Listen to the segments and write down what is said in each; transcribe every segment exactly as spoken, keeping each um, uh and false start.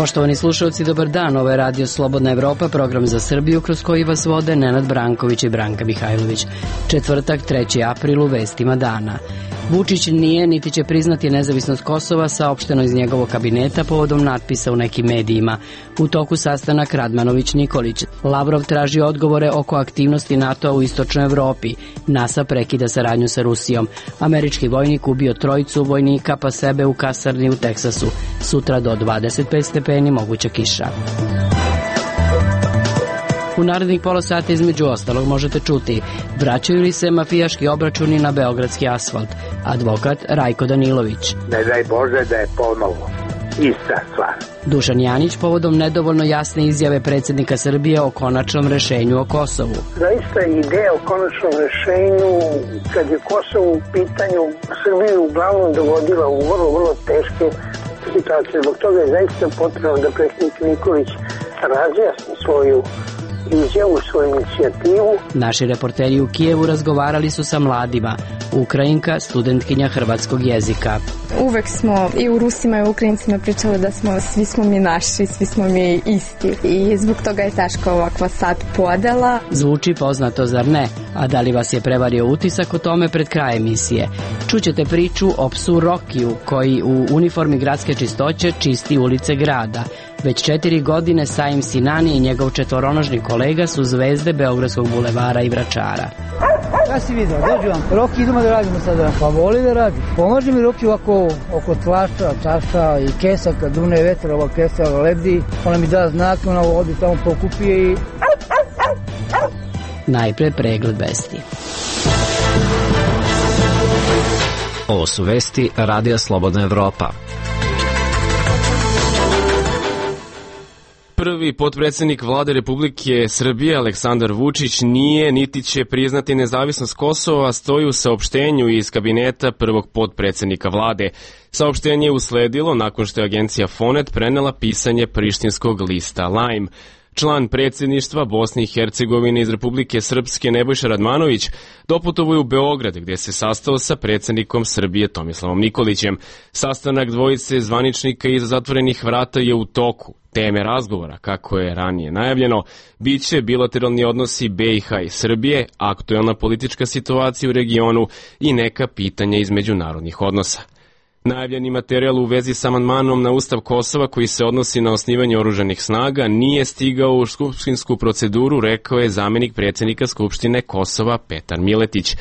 Poštovani slušalci, dobar dan. Ovo je Radio Slobodna Evropa, program za Srbiju kroz koji vas vode Nenad Branković i Branka Mihajlović. Četvrtak, treći april, u vestima dana. Vučić nije niti će priznati nezavisnost Kosova, saopšteno iz njegovog kabineta povodom natpisa u nekim medijima. U toku sastanak Radmanović-Nikolić. Lavrov traži odgovore oko aktivnosti NATO-a u istočnoj Evropi. NASA prekida saradnju sa Rusijom. Američki vojnik ubio trojicu vojnika pa sebe u kasarni u Teksasu. Sutra do dvadeset pet stepeni, moguća kiša. U narednih pola sata između ostalog možete čuti: vraćaju li se mafijaški obračuni na beogradski asfalt? Advokat Rajko Danilović. Ne daj Bože da je ponovo ista stvar. Dušan Janić povodom nedovoljno jasne izjave predsjednika Srbije o konačnom rešenju o Kosovu. Zaista ideja o konačnom rešenju, kad je Kosovo u pitanju, Srbiju uglavnom dovodila u vrlo, vrlo teške situacije. Zbog toga je zaista potrebno da predsjednik Nikolić razjasni svoju izjavu, svoju inicijativu. Naši reporteri u Kijevu razgovarali su sa mladima. Ukrajinka, studentkinja hrvatskog jezika. Uvek smo i u Rusima i u Ukrajincima pričali da smo, svi smo mi naši, svi smo mi isti. I zbog toga je teška ovakva sad podela. Zvuči poznato, zar ne? A da li vas je prevario utisak o tome pred kraj emisije? Čućete priču o psu Rokiju, koji u uniformi gradske čistoće čisti ulice grada. Već četiri godine Saim Sinani i njegov četvoronožni kolega su zvezde Beogradskog bulevara i Vračara. Ja si vidio, dođu vam, Roki, idemo da radimo sada. Pa voli da radi. Pomoži mi Roki ovako oko tlača, čaša i kesa, kad dune vetra, ova kesa lebdi, ona mi da znak, ona odi tamo pokupije i... Najpre pregled vesti. Ovo su vesti Radija Slobodna Evropa. Prvi potpredsjednik vlade Republike Srbije Aleksandar Vučić nije niti će priznati nezavisnost Kosova, stoji u saopštenju iz kabineta prvog potpredsjednika vlade. Saopštenje je usledilo nakon što je agencija Fonet prenela pisanje prištinskog lista Lajm. Član predsjedništva Bosne i Hercegovine iz Republike Srpske Nebojša Radmanović doputovao je u Beograd, gdje se sastao sa predsjednikom Srbije Tomislavom Nikolićem. Sastanak dvojice zvaničnika iza zatvorenih vrata je u toku. Teme razgovora, kako je ranije najavljeno, bit će bilateralni odnosi B i H i Srbije, aktuelna politička situacija u regionu i neka pitanja iz međunarodnih odnosa. Najavljeni materijal u vezi s amandmanom na Ustav Kosova koji se odnosi na osnivanje oružanih snaga nije stigao u skupštinsku proceduru, rekao je zamjenik predsjednika Skupštine Kosova Petar Miletić.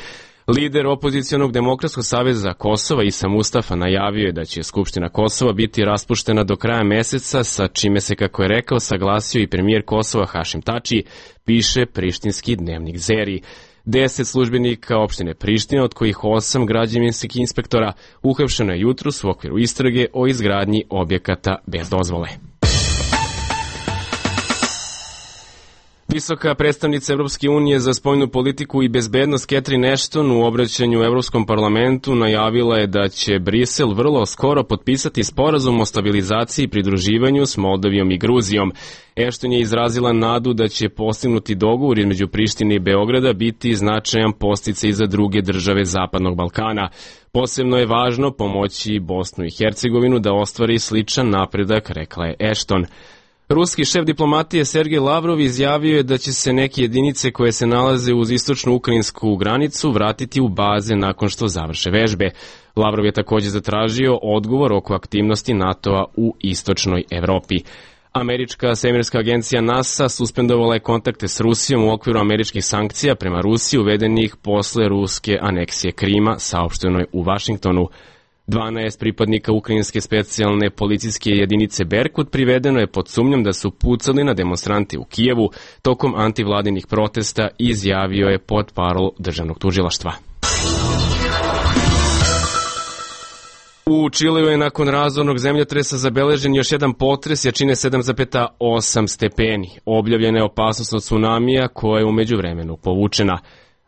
Lider opozicionog Demokratskog saveza Kosova Isa Mustafa najavio je da će Skupština Kosova biti raspuštena do kraja meseca, sa čime se, kako je rekao, saglasio i premijer Kosova Hašim Tači, piše prištinski dnevnik Zeri. Deset službenika opštine Priština, od kojih osam građevinskih inspektora, uhapšeno je jutros u okviru istrage o izgradnji objekata bez dozvole. Visoka predstavnica Evropske unije za spoljnu politiku i bezbednost Catherine Ashton u obraćanju u Evropskom parlamentu najavila je da će Brisel vrlo skoro potpisati sporazum o stabilizaciji i pridruživanju s Moldavijom i Gruzijom. Ashton je izrazila nadu da će postignuti dogovor između Prištine i Beograda biti značajan podsticaj za druge države Zapadnog Balkana. Posebno je važno pomoći Bosnu i Hercegovinu da ostvari sličan napredak, rekla je Ashton. Ruski šef diplomatije Sergej Lavrov izjavio je da će se neke jedinice koje se nalaze uz istočnu ukrajinsku granicu vratiti u baze nakon što završe vežbe. Lavrov je također zatražio odgovor oko aktivnosti NATO-a u istočnoj Evropi. Američka svemirska agencija NASA suspendovala je kontakte s Rusijom u okviru američkih sankcija prema Rusiji uvedenih posle ruske aneksije Krima, saopšteno je u Vašingtonu. dvanaest pripadnika ukrajinske specijalne policijske jedinice Berkut privedeno je pod sumnjom da su pucali na demonstrante u Kijevu tokom antivladinih protesta, izjavio je portparol državnog tužilaštva. U Čileu je nakon razornog zemljotresa zabeležen još jedan potres jačine sedam zarez osam stepeni. Objavljena je opasnost od tsunamija koja je u međuvremenu povučena.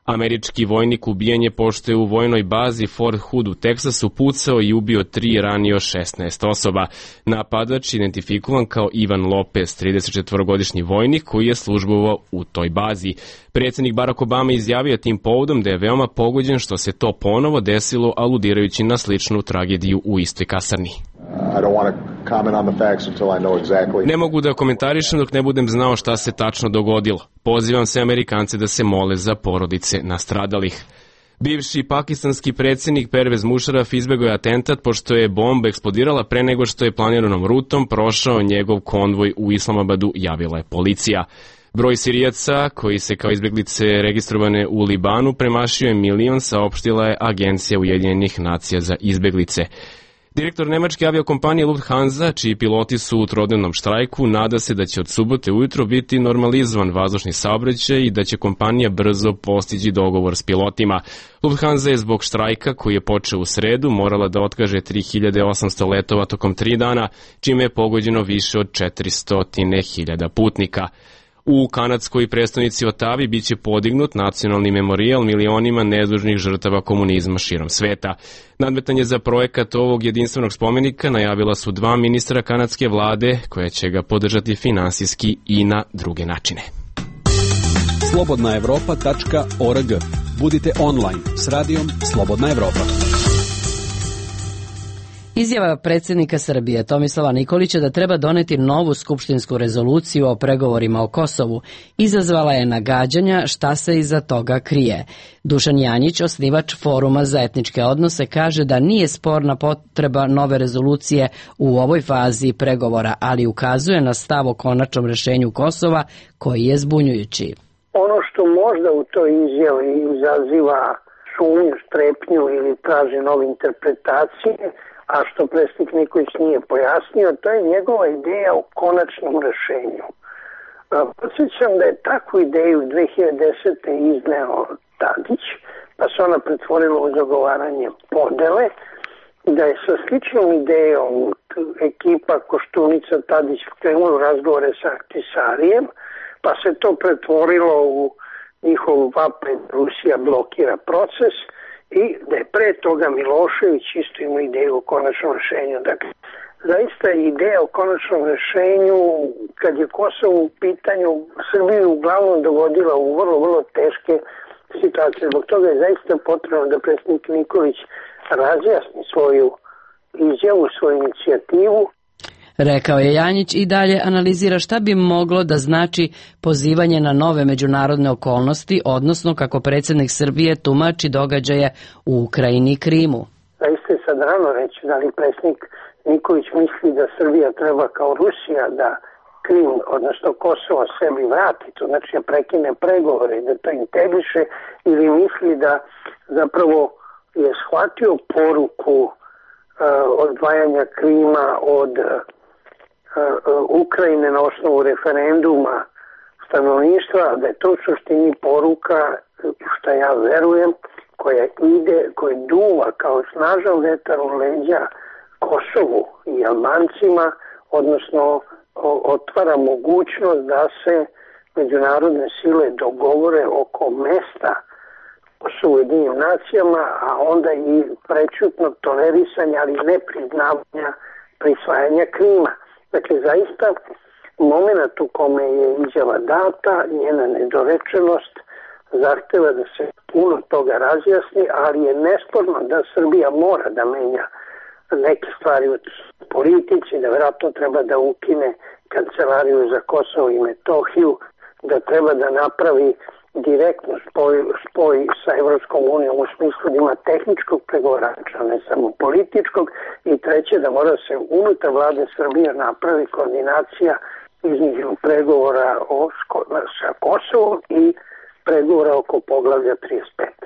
Američki vojnik ubijen je pošto je u vojnoj bazi Fort Hood u Teksasu pucao i ubio tri, ranio šesnaest osoba. Napadač identifikovan kao Ivan Lopez, tridesetčetvorogodišnji vojnik koji je službovao u toj bazi. Predsjednik Barack Obama izjavio tim povodom da je veoma pogođen što se to ponovo desilo, aludirajući na sličnu tragediju u istoj kasarni. I don't want to comment on the facts until I know exactly. Ne mogu da komentarišem dok ne budem znao šta se tačno dogodilo. Pozivam se Amerikance da se mole za porodice nastradalih. Bivši pakistanski predsjednik Pervez Musharraf izbegao je atentat pošto je bomba eksplodirala pre nego što je planiranom rutom prošao njegov konvoj u Islamabadu, javila je policija. Broj Sirijaca koji se kao izbjeglice registrovane u Libanu premašio je milion, saopštila je Agencija Ujedinjenih nacija za izbjeglice. Direktor nemačke aviokompanije Lufthansa, čiji piloti su u trodnevnom štrajku, nada se da će od subote ujutro biti normalizovan vazdušni saobraćaj i da će kompanija brzo postići dogovor s pilotima. Lufthansa je zbog štrajka, koji je počeo u sredu, morala da otkaže tri hiljade osamsto letova tokom tri dana, čime je pogođeno više od četiristo hiljada putnika. U kanadskoj prestonici Otavi biće podignut nacionalni memorijal milionima nedužnih žrtava komunizma širom sveta. Nadmetanje za projekat ovog jedinstvenog spomenika najavila su dva ministra kanadske vlade, koja će ga podržati finansijski i na druge načine. slobodna evropa tačka org. Budite online s radijom Slobodna Evropa. Izjava predsjednika Srbije Tomislava Nikolića da treba doneti novu skupštinsku rezoluciju o pregovorima o Kosovu izazvala je nagađanja šta se iza toga krije. Dušan Janjić, osnivač Foruma za etničke odnose, kaže da nije sporna potreba nove rezolucije u ovoj fazi pregovora, ali ukazuje na stav o konačnom rešenju Kosova koji je zbunjujući. Ono što možda u toj izjavi izaziva sumnju, strepnju ili traži nove interpretacije, a što predsjednik Nikolić nije pojasnio, to je njegova ideja o konačnom rešenju. Podsjećam da je takvu ideju dve hiljade desete. izneo Tadić, pa se ona pretvorila u zagovaranje podele, da je sa sličnom idejom ekipa Koštunica Tadić krenula u razgovore sa Ahtisarijem, pa se to pretvorilo u njihov vapaj Rusija blokira proces, i da je pre toga Milošević isto imao ideju o konačnom rešenju. Dakle, zaista je ideja o konačnom rešenju, kad je Kosovo u pitanju, Srbiju uglavnom dovodila u vrlo, vrlo teške situacije. Zbog toga je zaista potrebno da predsjednik Nikolić razjasni svoju izjavu, svoju inicijativu. Rekao je Janjić i dalje analizira šta bi moglo da znači pozivanje na nove međunarodne okolnosti, odnosno kako predsjednik Srbije tumači događaje u Ukrajini i Krimu. Zaista je sad rano reći da li predsjednik Nikolić misli da Srbija treba kao Rusija da Krim, odnosno Kosovo sebi vrati, to znači da prekine pregovore i da to integriše, ili misli da zapravo je shvatio poruku uh, odvajanja Krima od uh, Ukrajine na osnovu referenduma stanovništva, da je to u suštini poruka, što ja verujem, koja ide, koja duva kao snažan vetar u leđa Kosovu i Albancima, odnosno otvara mogućnost da se međunarodne sile dogovore oko mesta Kosovo u Ujedinjenim nacijama, a onda i prečutnog tolerisanja, ali ne priznavanja prisvajanja Krima. Dakle, zaista, moment u kome je izjava data, njena nedorečenost, zahteva da se puno toga razjasni, ali je nesporno da Srbija mora da menja neke stvari u politici, da vjerojatno treba da ukine kancelariju za Kosovo i Metohiju, da treba da napravi direktno spoj, spoj sa Evropskom unijom u smislu da ima tehničkog pregovarača, ne samo političkog, i treće da mora se unutar vlade Srbije napravi koordinacija između pregovora o, sa Kosovom i pregovora oko poglavlja trideset pet.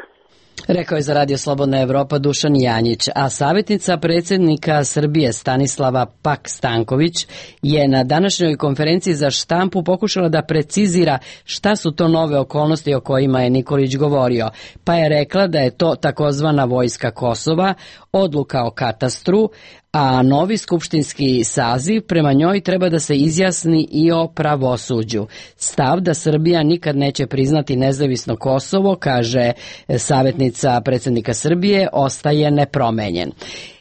Rekao je za Radio Slobodna Evropa Dušan Janjić, a savjetnica predsjednika Srbije Stanislava Pak-Stanković je na današnjoj konferenciji za štampu pokušala da precizira šta su to nove okolnosti o kojima je Nikolić govorio, pa je rekla da je to takozvana vojska Kosova, odluka o katastru, a novi skupštinski saziv prema njoj treba da se izjasni i o pravosuđu. Stav da Srbija nikad neće priznati nezavisno Kosovo, kaže savjetnica predsjednika Srbije, ostaje nepromenjen.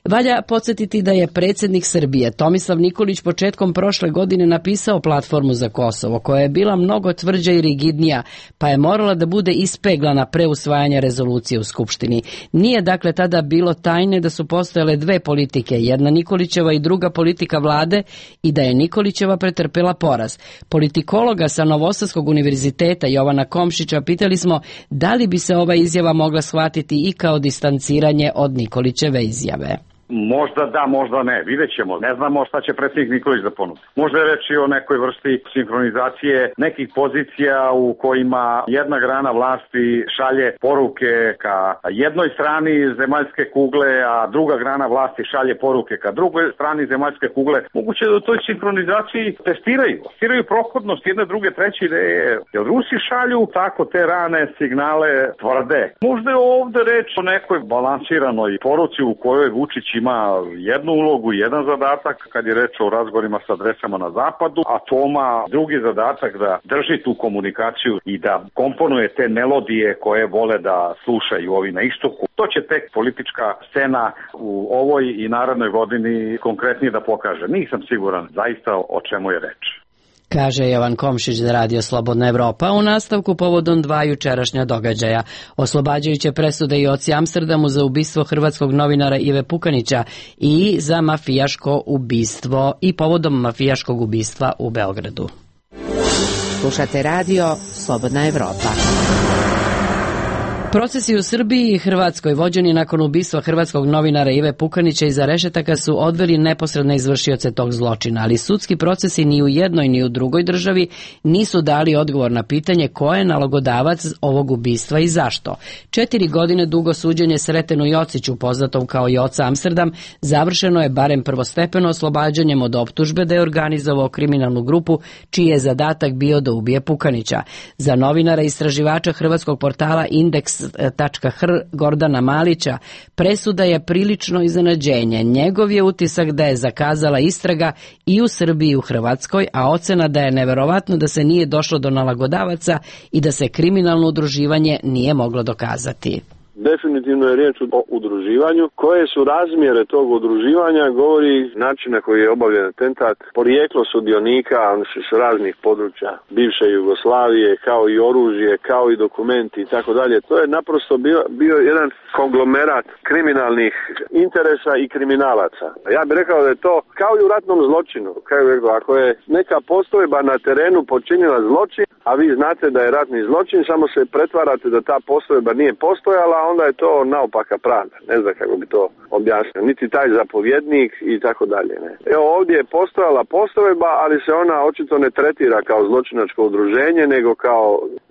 Valja podsjetiti da je predsjednik Srbije Tomislav Nikolić početkom prošle godine napisao platformu za Kosovo, koja je bila mnogo tvrđa i rigidnija, pa je morala da bude ispeglana pre usvajanja rezolucije u Skupštini. Nije dakle tada bilo tajne da su postojale dve politike, jedna Nikolićeva i druga politika vlade, i da je Nikolićeva pretrpela poraz. Politikologa sa Novosadskog univerziteta Jovana Komšića pitali smo da li bi se ova izjava mogla shvatiti i kao distanciranje od Nikolićeve izjave. Možda da, možda ne, vidjet ćemo. Ne znamo šta će predsjednik Nikolić da ponudi. Možda je reći o nekoj vrsti sinhronizacije nekih pozicija u kojima jedna grana vlasti šalje poruke ka jednoj strani zemaljske kugle, a druga grana vlasti šalje poruke ka drugoj strani zemaljske kugle. Moguće da u toj sinhronizaciji testiraju. Testiraju prohodnost jedne, druge, treće ideje. Jer Rusi šalju tako te rane signale tvrde. Možda je ovde reč o nekoj balansiranoj poruci u kojoj Vučić ima jednu ulogu, jedan zadatak kad je reč o razgovorima sa adresama na zapadu, a Toma drugi zadatak da drži tu komunikaciju i da komponuje te melodije koje vole da slušaju ovi na istoku. To će tek politička scena u ovoj i narednoj godini konkretnije da pokaže. Nisam siguran zaista o čemu je reč. Kaže Jovan Komšić za Radio Slobodna Evropa u nastavku povodom dva jučerašnja događaja. Oslobađajuće presude i oci Amsterdamu za ubistvo hrvatskog novinara Ive Pukanića i za mafijaško ubistvo i povodom mafijaškog ubistva u Beogradu. Slušate Radio Slobodna Evropa. Procesi u Srbiji i Hrvatskoj vođeni nakon ubistva hrvatskog novinara Ive Pukanića iza rešetaka su odveli neposredne izvršioce tog zločina, ali sudski procesi ni u jednoj ni u drugoj državi nisu dali odgovor na pitanje ko je nalogodavac ovog ubistva i zašto. Četiri godine dugo suđenje Sretenu Jociću, poznatom kao Joca Amsterdam, završeno je barem prvostepeno oslobađanjem od optužbe da je organizovao kriminalnu grupu čiji je zadatak bio da ubije Pukanića. Za novinara i istraživača hrvatskog portala Indeks .hr Gordana Malića presuda je prilično iznenađenje. Njegov je utisak da je zakazala istraga i u Srbiji i u Hrvatskoj, a ocena da je neverovatno da se nije došlo do nalagodavaca i da se kriminalno udruživanje nije moglo dokazati. Definitivno je riječ o udruživanju. Koje su razmjere tog udruživanja govori način na koji je obavljen atentat, porijeklo sudionika, oni su s raznih područja bivše Jugoslavije, kao i oružje, kao i dokumenti i tako dalje. To je naprosto bio, bio jedan konglomerat kriminalnih interesa i kriminalaca. Ja bih rekao da je to kao i u ratnom zločinu. Kao je rekao, ako je neka postojba na terenu počinila zločin, a vi znate da je ratni zločin, samo se pretvarate da ta postojba nije postojala, onda je to naopaka pravda. Ne znam kako bi to objasnio. Niti taj zapovjednik i tako dalje. Ne. Evo ovdje je postojala postojba, ali se ona očito ne tretira kao zločinačko udruženje, nego kao,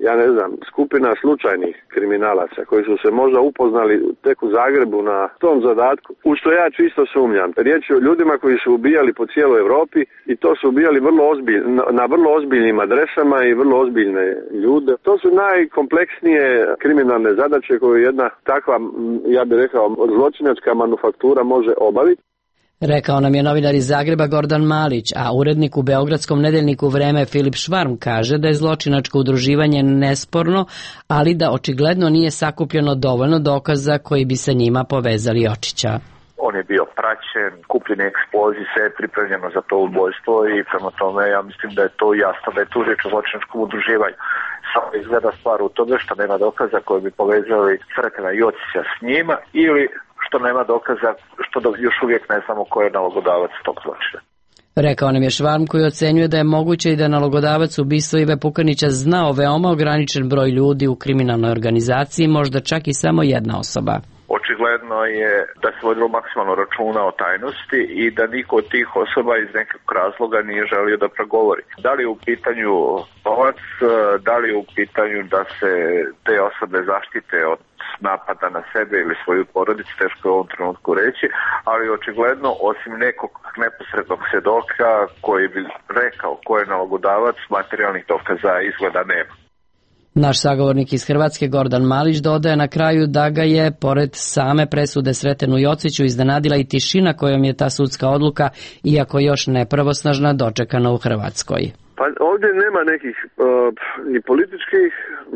ja ne znam, skupina slučajnih kriminalaca koji su se možda upoznali tek u Zagrebu na tom zadatku. U što ja čisto sumnjam. Riječ je o ljudima koji su ubijali po cijeloj Europi i to su ubijali vrlo ozbilj, na vrlo ozbiljnim adresama i vrlo ozbiljne ljude. To su najkompleksnije kriminalne zadaće koje jedna takva, ja bih rekao, zločinačka manufaktura može obaviti. Rekao nam je novinar iz Zagreba Gordan Malić, a urednik u beogradskom nedeljniku Vreme Filip Švarm kaže da je zločinačko udruživanje nesporno, ali da očigledno nije sakupljeno dovoljno dokaza koji bi sa njima povezali Jočića. On je bio praćen, kupljen eksploziv, sve je pripremljeno za to ubojstvo i prema tome ja mislim da je to jasno da je tu riječ o zločinačkom udruživanju. Samo izgleda stvar u tome što nema dokaza koji bi povezali Sretena Jocića s njima ili što nema dokaza što još uvijek ne znamo ko je nalogodavac tog zločina. Rekao nam je Švarm koji ocenjuje da je moguće i da nalogodavac ubistva Ive Pukanića znao veoma ograničen broj ljudi u kriminalnoj organizaciji, možda čak i samo jedna osoba. Očigledno je da se vodilo maksimalno računa o tajnosti i da niko od tih osoba iz nekog razloga nije želio da progovori. Da li je u pitanju novac, da li je u pitanju da se te osobe zaštite od napada na sebe ili svoju porodicu, teško je u ovom trenutku reći, ali očigledno osim nekog neposrednog svjedoka koji bi rekao ko je nalogodavac, materijalnih dokaza izgleda nema. Naš sagovornik iz Hrvatske Gordan Malić dodaje na kraju da ga je, pored same presude Sretenu Jociću, iznenadila i tišina kojom je ta sudska odluka, iako još nepravosnažna, dočekana u Hrvatskoj. Pa ovdje nema nekih uh, ni političkih,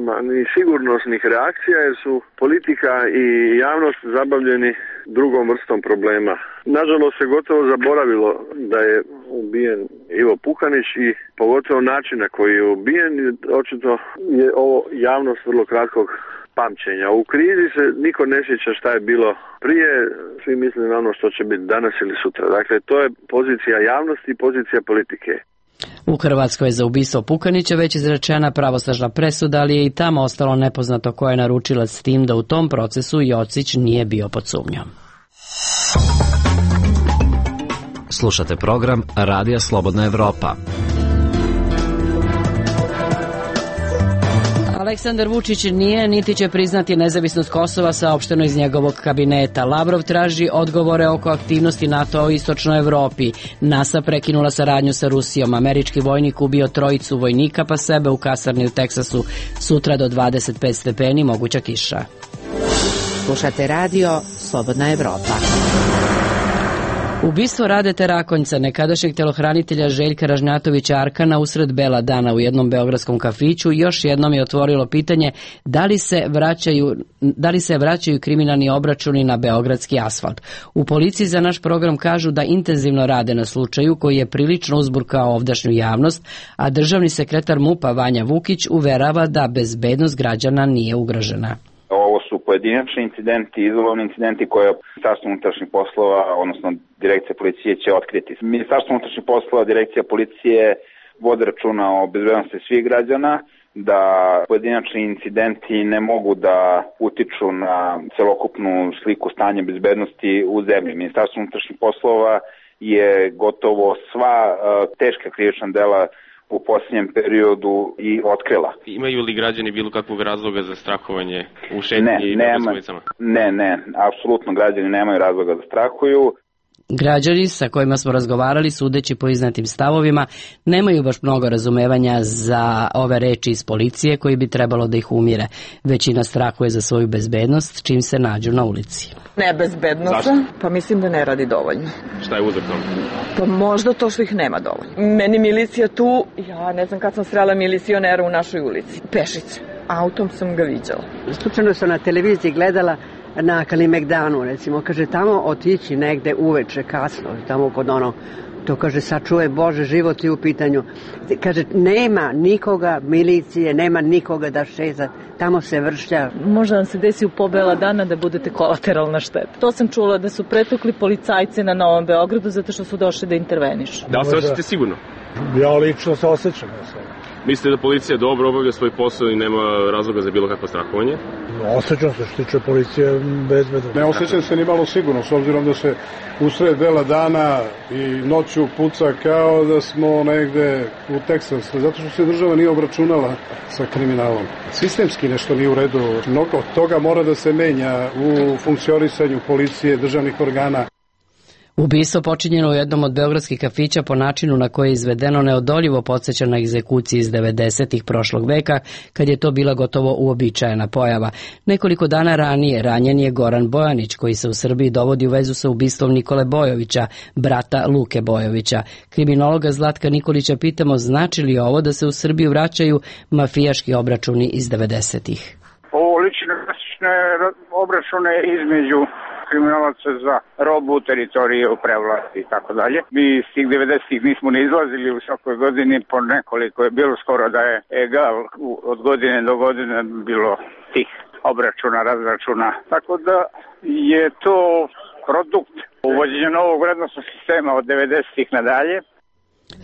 ma, ni sigurnosnih reakcija, jer su politika i javnost zabavljeni drugom vrstom problema. Nažalost se gotovo zaboravilo da je ubijen Ivo Pukanić i pogotovo način na koji je ubijen, očito je ovo javnost vrlo kratkog pamćenja. U krizi se niko ne sjeća šta je bilo prije, svi misle na ono što će biti danas ili sutra. Dakle, to je pozicija javnosti i pozicija politike. U Hrvatskoj je za ubistvo Pukanića već izrečena pravosnažna presuda, ali je i tamo ostalo nepoznato ko je naručilac, s tim da u tom procesu Jocić nije bio pod sumnjom. Slušate program Radija Slobodna Evropa. Aleksandar Vučić nije niti će priznati nezavisnost Kosova, saopšteno iz njegovog kabineta. Lavrov traži odgovore oko aktivnosti NATO u istočnoj Evropi. NASA prekinula saradnju sa Rusijom. Američki vojnik ubio trojicu vojnika pa sebe u kasarni u Teksasu. Sutra do dvadeset pet stepeni, moguća kiša. Slušate radio Slobodna Evropa. Ubistvo Radete Rakonjca, nekadašnjeg telohranitelja Željka Ražnjatovića Arkana, usred bela dana u jednom beogradskom kafiću još jednom je otvorilo pitanje da li se vraćaju, da li se vraćaju kriminalni obračuni na beogradski asfalt. U policiji za naš program kažu da intenzivno rade na slučaju koji je prilično uzburkao ovdašnju javnost, a državni sekretar MUP-a Vanja Vukić uverava da bezbednost građana nije ugrožena. Ovo su pojedinačni incidenti, izolovni incidenti koje Ministarstvo unutrašnjih poslova, odnosno Direkcija policije će otkriti. Ministarstvo unutrašnjih poslova, Direkcija policije vode računa o bezbednosti svih građana, da pojedinačni incidenti ne mogu da utiču na celokupnu sliku stanja bezbednosti u zemlji. Ministarstvo unutrašnjih poslova je gotovo sva uh, teška krivična dela u posljednjem periodu i otkrila. Imaju li građani bilo kakvog razloga za strahovanje u šetnji i na ulicama? Ne, ne, apsolutno građani nemaju razloga da strahuju. Građani sa kojima smo razgovarali, sudeći po iznetim stavovima, nemaju baš mnogo razumevanja za ove reči iz policije koji bi trebalo da ih umire. Većina strahuje za svoju bezbednost čim se nađu na ulici. Nebezbednost, pa mislim da ne radi dovoljno. Šta je uzrok tome? Pa možda to što ih nema dovoljno. Meni milicija tu, ja ne znam kad sam srela milicionera u našoj ulici. Pešice, autom sam ga viđala. Slučajno sam na televiziji gledala na Kalimegdanu, recimo, kaže, tamo otići negde uveče, kasno, tamo kod ono, to kaže, sačuvaj Bože, život je u pitanju. Kaže, nema nikoga, milicije, nema nikoga da šeza, tamo se vršlja. Možda vam se desi u pobela dana da budete kolateralna šteta. To sam čula da su pretukli policajci na Novom Beogradu zato što su došli da intervenišu. Da li se osjećate sigurno? Ja lično se osjećam. Mislite da policija dobro obavlja svoj posao i nema razloga za bilo kakvo strahovanje? Osjećam se što tiče policije bezbedno. Ne osjećam se ni malo sigurno, s obzirom da se usred bela dana i noću puca kao da smo negde u Teksasu, zato što se država nije obračunala sa kriminalom. Sistemski nešto nije u redu. Mnogo toga mora da se menja u funkcionisanju policije, državnih organa. Ubistvo počinjeno u jednom od beogradskih kafića po načinu na koji je izvedeno neodoljivo podsjeća na egzekuciji iz devedesetih prošlog veka, kad je to bila gotovo uobičajena pojava. Nekoliko dana ranije ranjen je Goran Bojanić, koji se u Srbiji dovodi u vezu sa ubistvom Nikole Bojovića, brata Luke Bojovića. Kriminologa Zlatka Nikolića pitamo znači li ovo da se u Srbiju vraćaju mafijaški obračuni iz devedesetih. Ovo lične obračune između kriminalaca za robu, teritorije u prevlasti i tako dalje. Mi iz tih devedesetih nismo ne izlazili u svakoj godini, po nekoliko je bilo skoro da je egal od godine do godine bilo tih obračuna, razračuna. Tako da je to produkt uvođenja novog vrednostnog sistema od devedesetih nadalje.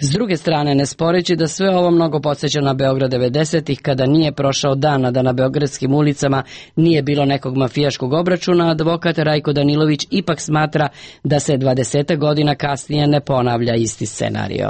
S druge strane, ne sporeći da sve ovo mnogo podsjeća na Beograd devedesetih, kada nije prošao dan, a da na beogradskim ulicama nije bilo nekog mafijaškog obračuna, advokat Rajko Danilović ipak smatra da se dvadeset godina kasnije ne ponavlja isti scenario.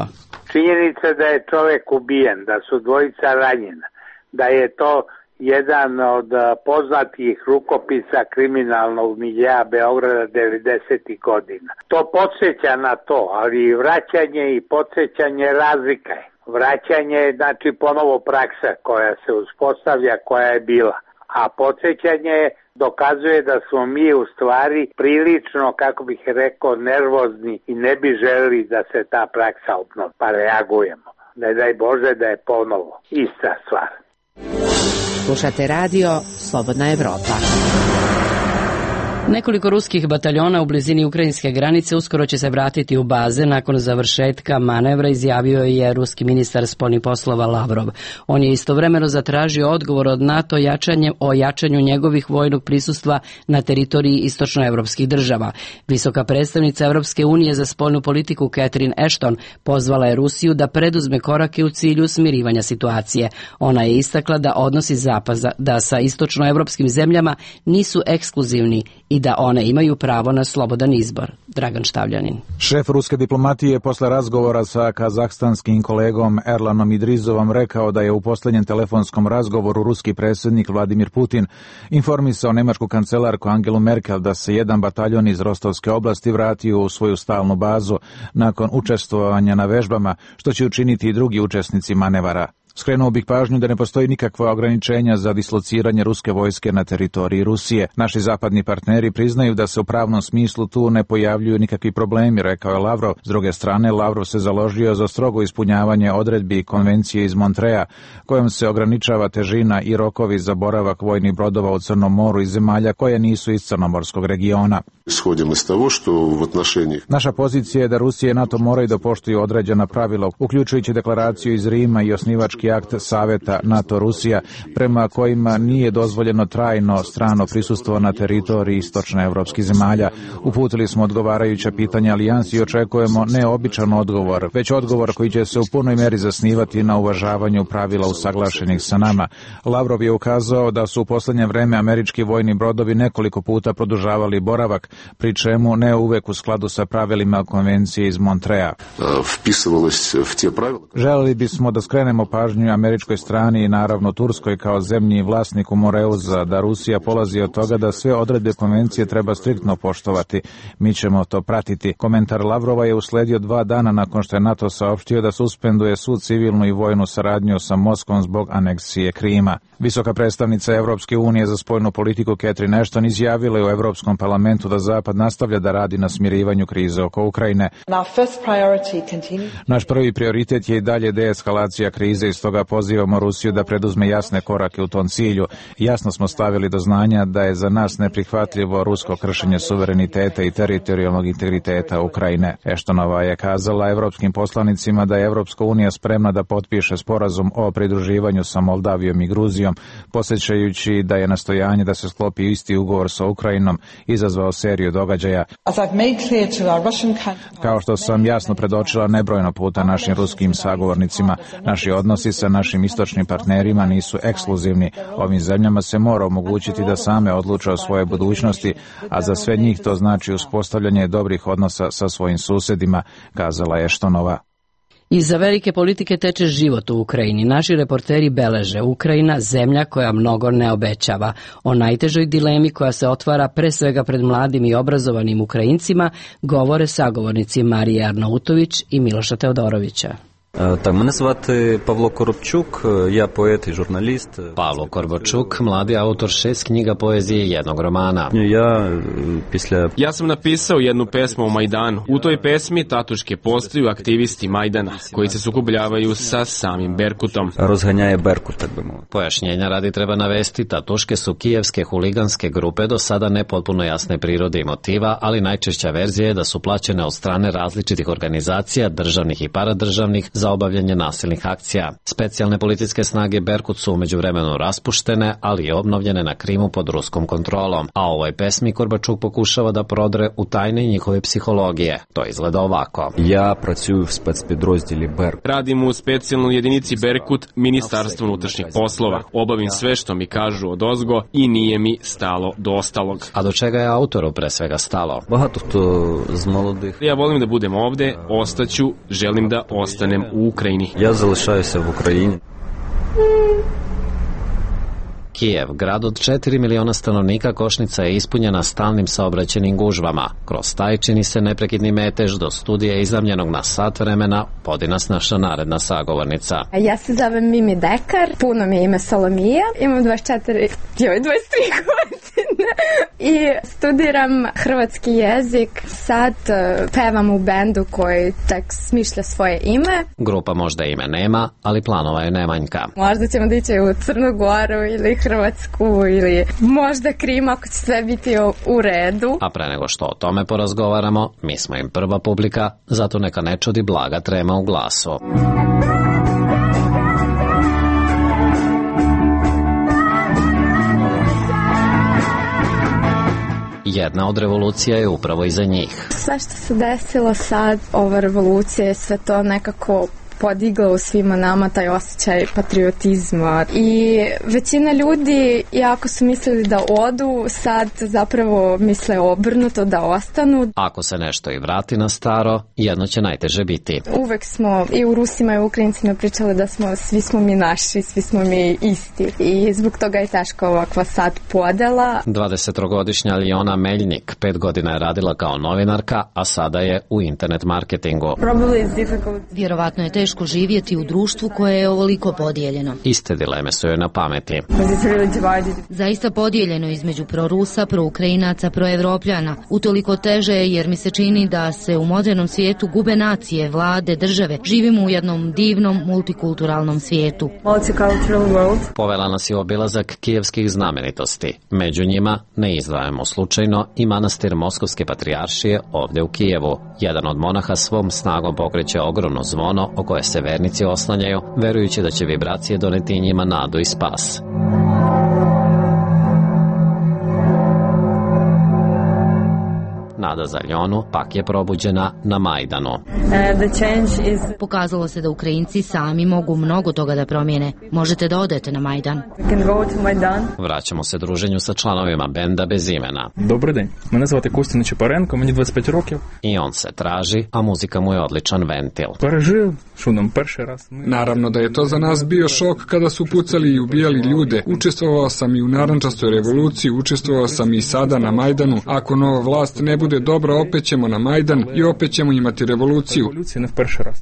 Činjenica da je čovek ubijen, da su dvojica ranjena, da je to jedan od poznatih rukopisa kriminalnog miljeja Beograda devedesetih godina. To podsjeća na to, ali vraćanje i podsjećanje razlika je. Vraćanje je znači ponovo praksa koja se uspostavlja, koja je bila. A podsjećanje dokazuje da smo mi u stvari prilično, kako bih rekao, nervozni i ne bi želeli da se ta praksa obnovi, pa reagujemo. Ne daj Bože da je ponovo ista stvar. Slušate radio Slobodna Evropa. Nekoliko ruskih bataljona u blizini ukrajinske granice uskoro će se vratiti u baze nakon završetka manevra, izjavio je ruski ministar spoljnih poslova Lavrov. On je istovremeno zatražio odgovor od NATO jačanje, o jačanju njegovih vojnog prisustva na teritoriji istočnoevropskih država. Visoka predstavnica Evropske unije za spoljnu politiku Catherine Ashton pozvala je Rusiju da preduzme korake u cilju smirivanja situacije. Ona je istakla da odnosi Zapada da sa istočnoevropskim zemljama nisu ekskluzivni i da one imaju pravo na slobodan izbor. Dragan Štavljanin. Šef ruske diplomatije posle razgovora sa kazahstanskim kolegom Erlanom Idrizovom rekao da je u posljednjem telefonskom razgovoru ruski predsjednik Vladimir Putin informisao nemačku kancelarku Angelu Merkel da se jedan bataljon iz Rostovske oblasti vratio u svoju stalnu bazu nakon učestvovanja na vežbama, što će učiniti i drugi učesnici manevara. Skrenuo bih pažnju da ne postoji nikakva ograničenja za dislociranje ruske vojske na teritoriji Rusije. Naši zapadni partneri priznaju da se u pravnom smislu tu ne pojavljuju nikakvi problemi, rekao je Lavrov. S druge strane, Lavrov se založio za strogo ispunjavanje odredbi konvencije iz Montreja, kojom se ograničava težina i rokovi za boravak vojnih brodova u Crnom moru i zemalja koje nisu iz crnomorskog regiona. Naša pozicija je da Rusija i NATO moraju da poštuju određena pravila, uključujući deklaraciju iz Rima i osnivački akt Saveta NATO-Rusija, prema kojima nije dozvoljeno trajno strano prisustvo na teritoriji istočnoevropskih zemalja. Uputili smo odgovarajuća pitanja alijansi i očekujemo ne običan odgovor, već odgovor koji će se u punoj meri zasnivati na uvažavanju pravila usaglašenih sa nama. Lavrov je ukazao da su u poslednje vreme američki vojni brodovi nekoliko puta produžavali boravak, pri čemu ne uvek u skladu sa pravilima konvencije iz Montreja. Želeli bismo da skrenemo pažnju američkoj strani i naravno Turskoj kao zemlji i vlasniku Moreuza da Rusija polazi od toga da sve odredbe konvencije treba striktno poštovati. Mi ćemo to pratiti. Komentar Lavrova je usledio dva dana nakon što je NATO saopštio da suspenduje svu civilnu i vojnu saradnju sa Moskvom zbog aneksije Krima. Visoka predstavnica Evropske unije za spoljnu politiku Catherine Ashton izjavila je u Evropskom parlamentu da Zapad nastavlja da radi na smirivanju krize oko Ukrajine. Naš prvi prioritet je i dalje deeskalacija krize i stoga pozivamo Rusiju da preduzme jasne korake u tom cilju. Jasno smo stavili do znanja da je za nas neprihvatljivo rusko kršenje suvereniteta i teritorijalnog integriteta Ukrajine. Ashtonova je kazala evropskim poslanicima da je Evropska unija spremna da potpiše sporazum o pridruživanju sa Moldavijom i Gruzijom, podsjećajući da je nastojanje da se sklopi isti ugovor sa Ukrajinom izazvao seriju događaja. Kao što sam jasno predočila nebrojno puta našim ruskim sagovornicima, naši odnosi sa našim istočnim partnerima nisu ekskluzivni. Ovim zemljama se mora omogućiti da same odluče o svojoj budućnosti, a za sve njih to znači uspostavljanje dobrih odnosa sa svojim susedima, kazala je Ashtonova. Iza velike politike teče život u Ukrajini. Naši reporteri beleže Ukrajina, zemlja koja mnogo ne obećava. O najtežoj dilemi koja se otvara pre svega pred mladim i obrazovanim Ukrajincima govore sagovornici Marije Arnautović i Miloša Teodorovića. Так, мене звати Павло Коробчук, я поет і журналіст. Павло Коробчук, mladi autor šest knjiga poezije i jednog romana. Ja, після... ja sam napisao jednu pesmu o Majdanu. U toj pesmi tatuške postaju aktivisti Majdana, koji se sukobljavaju sa samim Berkutom. Rozganjaje Berkut, tak bi moj. Pojašnjenja radi treba navesti, tatuške su kijevske huliganske grupe do sada nepotpuno jasne prirode i motiva, ali najčešća verzija je da su plaćene od strane različitih organizacija, državnih i paradržavnih, za obavljanje nasilnih akcija. Specijalne policijske snage Berkut su umeđu vremenu raspuštene, ali i obnovljene na Krimu pod ruskom kontrolom. A ovoj pesmi Korbačuk pokušava da prodre u tajne njihove psihologije. To izgleda ovako. Ja pracuju u specpodrozdjeli Berkut. Radim u specijalnoj jedinici Berkut, Ministarstvo unutrašnjih poslova. Obavim sve što mi kažu od ozgo i nije mi stalo do ostalog. A do čega je autoru pre svega stalo? Багато хто з молодих. Ja volim da budem ovde, ostaću, želim da ostanem u Ukrajini. Ja залишаюся в Україні. Kijev, grad od četiri miliona stanovnika, košnica je ispunjena stalnim saobraćenim gužvama. Kroz taj čini se neprekidni metež do studija iznajmljenog na sat vremena vodi nas naša naredna sagovornica. Ja se zovem Mimi Dekar, puno mi je ime Solomija, imam dvadeset četiri, joj, dvadeset tri godine. I studiram hrvatski jezik. Sad uh, pevam u bendu koji tek smišlja svoje ime. Grupa možda ime nema, ali planova je nemanjka. Možda ćemo dići u Crnu Goru ili Hrvatsku ili možda Krim ako će sve biti u redu. A pre nego što o tome porazgovaramo, mi smo im prva publika, zato neka ne čudi blaga trema u glasu. Jedna od revolucija je upravo iza njih. Sve što se desilo sad, ova revolucija je sve to nekako podigla u svima nama taj osjećaj patriotizma i većina ljudi, iako su mislili da odu, sad zapravo misle obrnuto da ostanu. Ako se nešto i vrati na staro, jedno će najteže biti. Uvek smo i u Rusima i u Ukrajincima pričali da smo, svi smo mi naši, svi smo mi isti i zbog toga je teška ovakva sad podela. dvadesetogodišnja Aljona Meljnik pet godina je radila kao novinarka, a sada je u internet marketingu. Vjerovatno je teško živjeti u društvu koje je ovoliko podijeljeno. Iste dileme su joj na pameti. Zaista podijeljeno između prorusa, proukrajinaca, proevropljana. Utoliko teže jer mi se čini da se u modernom svijetu gube nacije, vlade, države. Živimo u jednom divnom multikulturalnom svijetu. Povela nas je obilazak kijevskih znamenitosti. Među njima ne izdvajamo slučajno i manastir Moskovske patrijaršije ovdje u Kijevu. Jedan od monaha svom snagom pokreće ogromno zvono o koje se vernici oslanjaju, verujući da će vibracije doneti njima nadu i spas. Nada za Aljonu pak je probuđena na Majdanu. Is... Pokazalo se da Ukrajinci sami mogu mnogo toga da promijene. Možete da odete na Majdan. Vraćamo se druženju sa članovima benda bez imena. Dobar dan, mene zvate Kostja Nečepаренко, meni dvadeset pet rokів. I on se traži, a muzika mu je odličan ventil. Пережив, що нам перший раз. Naravno da je to za nas bio šok kada su pucali i ubijali ljude. Učestvovao sam i u narandžastoj revoluciji, učestvovao sam i sada na Majdanu. Ako nova vlast ne bude dobra, opet ćemo na Majdan i opet ćemo imati revoluciju.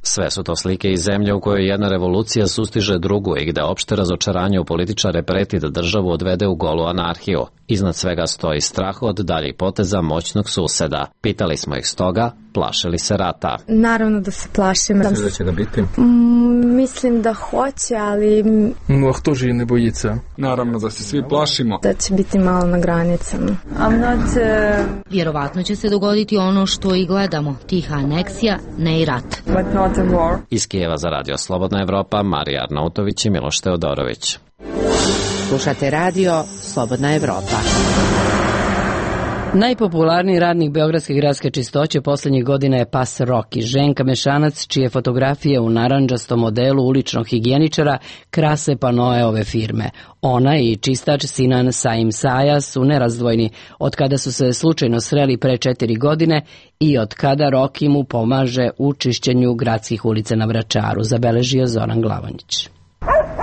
Sve su to slike iz zemlje u kojoj jedna revolucija sustiže drugu i gde opšte razočaranje u političare preti da državu odvede u golu anarhiju. Iznad svega stoji strah od daljih poteza moćnog suseda. Pitali smo ih stoga, plaše li se rata? Naravno da se plašim. Misliš da će ga biti? Mm, mislim da hoće, ali... No, a kto же ne bojica? Naravno da se svi plašimo. Da će biti malo na granicama. I'm not, uh... Vjerovatno će se dogoditi ono što i gledamo. Tiha aneksija, ne i rat. But not a war. Iz Kijeva za Radio Slobodna Evropa, Marija Arnautović i Miloš Teodorović. Slušate radio Slobodna Evropa. Najpopularniji radnik Beogradske gradske čistoće poslednjih godina je pas Roki, ženka mešanac čije fotografije u narandžastom modelu uličnog higijeničara krase panoe ove firme. Ona i čistač Sinan Saim Saja su nerazdvojni od kada su se slučajno sreli pre četiri godine i od kada Roki mu pomaže u čišćenju gradskih ulica na Vračaru, zabeležio Zoran Glavonjić.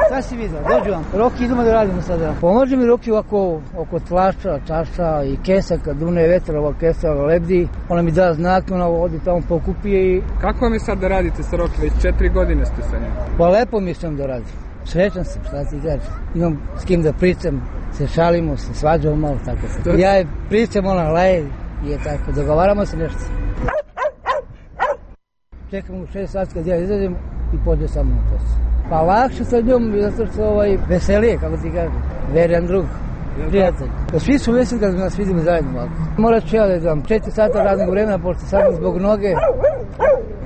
Šta si vidio? Dođu vam. Roki, idemo da radimo sada. Pomože mi Roki ovako oko tlača, čaša i kesa, kad dune vetar, ova kesa lebdi. Ona mi da znak, ona odi tamo pokupije i... Kako vam je sad da radite sa Roki? Već četiri godine ste sa njim. Pa lepo mislim da radim. Srećan sam, šta ti kažem. Imam s kim da pričam, se šalimo, se svađamo malo, tako se. Ja je pričam, ona laje i je tako. Dogovaramo se nešto. Čekamo u šest sati kad ja izađem i pođe sa mnom na posao. Pa lakše sa njom, zato što ovaj, veselije, kako ti kažem, verjan drug, prijatelj. Svi su veseli kad nas vidimo zajedno ovako. Morat ću ja da idem četiri sata radnog vremena, pošto sad zbog noge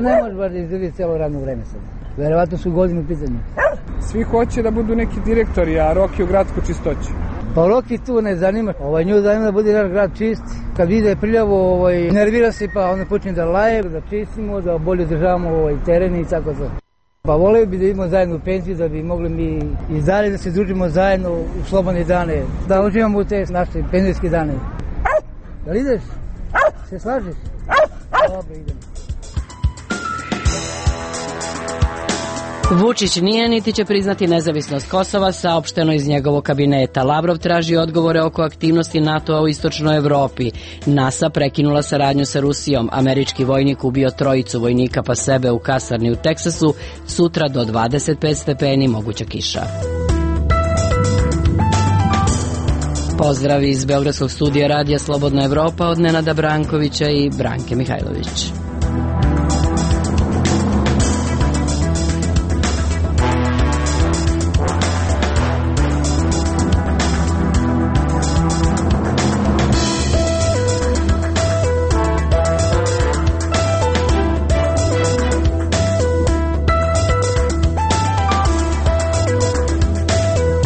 ne može baš da izdrži cijelo radno vreme sad. Verovatno su godine u pitanju. Svi hoće da budu neki direktori, a Roki u gradsku čistoću. Pa Roki tu ne zanima, ovaj, nju zanima da bude naš grad čist. Kad vide priljavo, ovaj, nervira se pa onda počne da laje, da čistimo, da bolje državamo ovaj, teren i tako to. Pa voleo bi da idemo zajedno u penziju, da bi mogli mi i dalje da se družimo zajedno u slobodne dane, da uživamo u te naše penzijske dane. Da li ideš? Se slažiš? Dobro, idemo. Vučić nije niti će priznati nezavisnost Kosova, saopšteno iz njegovog kabineta. Lavrov traži odgovore oko aktivnosti NATO-a u istočnoj Evropi. NASA prekinula saradnju sa Rusijom. Američki vojnik ubio trojicu vojnika pa sebe u kasarni u Teksasu. Sutra do dvadeset pet stepeni moguća kiša. Pozdrav iz Beogradskog studija radija Slobodna Evropa od Nenada Brankovića i Branke Mihajlović.